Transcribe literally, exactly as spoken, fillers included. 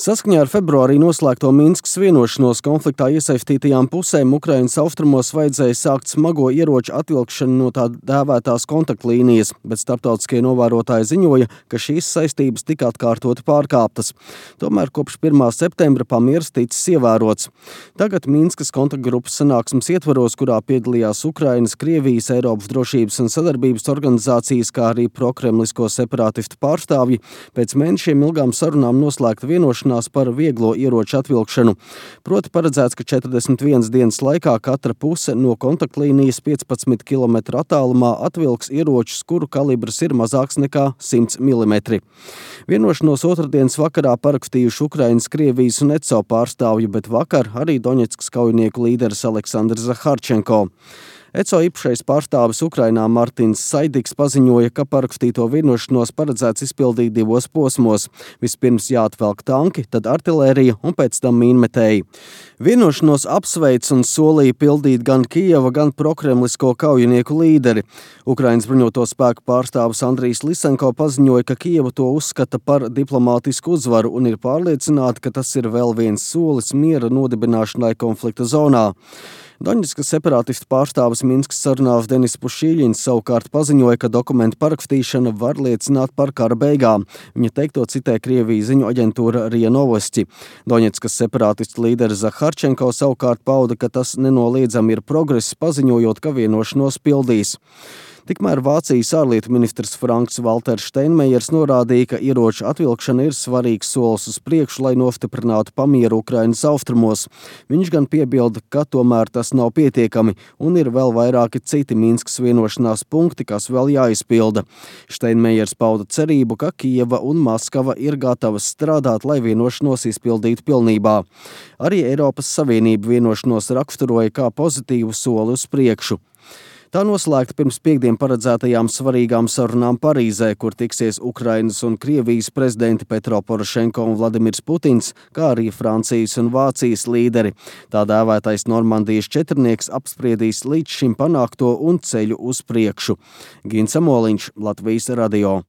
Saskaņā ar februārī noslēgto Minskas vienošanos konfliktā iesaistītajām pusēm Ukrainas austrumos vajadzēja sākt smago ieroču atvilkšanu no tā dēvētās kontaktlīnijas, bet starptautiskie novērotāji ziņoja, ka šīs saistības tika atkārtoti pārkāptas. Tomēr kopš pirmā septembra pamieris ticis ievērots. Tagad Minskas kontaktgrupas sanāksmes ietvaros, kurā piedalījās Ukrainas, Krievijas, Eiropas drošības un sadarbības organizācijas, kā arī prokremlisko separātistu pārstāvji, pēc mēnešiem ilgām sarunām noslēgta vienošanās par vieglo ieroču atvilkšanu. Proti paredzēts, ka četrdesmit vienas dienas laikā katra puse no kontaktlīnijas piecpadsmit kilometru attālumā atvilks ieročus, kuru kalibrs ir mazāks nekā simts milimetri. Vienošanos otrdienas vakarā parakstījuši Ukrainas, Krievijas un E C O pārstāvji, bet vakar arī Doņetskas kaujinieku līderis Aleksandrs Zaharčenko. E C O īpašais pārstāvis Ukrainā Martins Saidiks paziņoja, ka parakstīto vienošanos paredzēts izpildīt divos posmos. Vispirms jāatvelk tanki, tad artilērija un pēc tam mīnmetēji. Vienošanos apsveic un solīja pildīt gan Kijeva, gan prokremlisko kaujinieku līderi. Ukrainas bruņoto spēku pārstāvis Andrijs Lisenko paziņoja, ka Kijeva to uzskata par diplomātisku uzvaru un ir pārliecināta, ka tas ir vēl viens solis miera nodibināšanai konflikta zonā. Doņetskas separātistu pārstāvis Minskas sarunās Denis Pušīļins savukārt paziņoja, ka dokumentu parakstīšana var liecināt par kara beigām. Viņa teikto citē Krievijas ziņu aģentūra RIA Novosti. Doņetskas separātistu līderis Zaharčenko savukārt pauda, ka tas nenoliedzami ir progress, paziņojot, ka vienošanos pildīs. Tikmēr Vācijas ārlietu ministrs Franks Valters Steinmeiers norādīja, ka ieroču atvilkšana ir svarīgs solis uz priekšu, lai nostiprinātu pamieru Ukrainas austrumos. Viņš gan piebilda, ka tomēr tas nav pietiekami un ir vēl vairāki citi Minskas vienošanās punkti, kas vēl jāizpilda. Steinmeiers pauda cerību, ka Kijeva un Maskava ir gatavas strādāt, lai vienošanos izpildītu pilnībā. Arī Eiropas Savienība vienošanos raksturoja kā pozitīvu soli uz priekšu. Tā noslēgta pirms piekdien paredzētajām svarīgām sarunām Parīzē, kur tiksies Ukrainas un Krievijas prezidenti Petro Porošenko un Vladimirs Putins, kā arī Francijas un Vācijas līderi. Tā dēvētais Normandijas četrnieks apspriedīs līdz šim panākto un ceļu uz priekšu. Gins Amoliņš, Latvijas radio.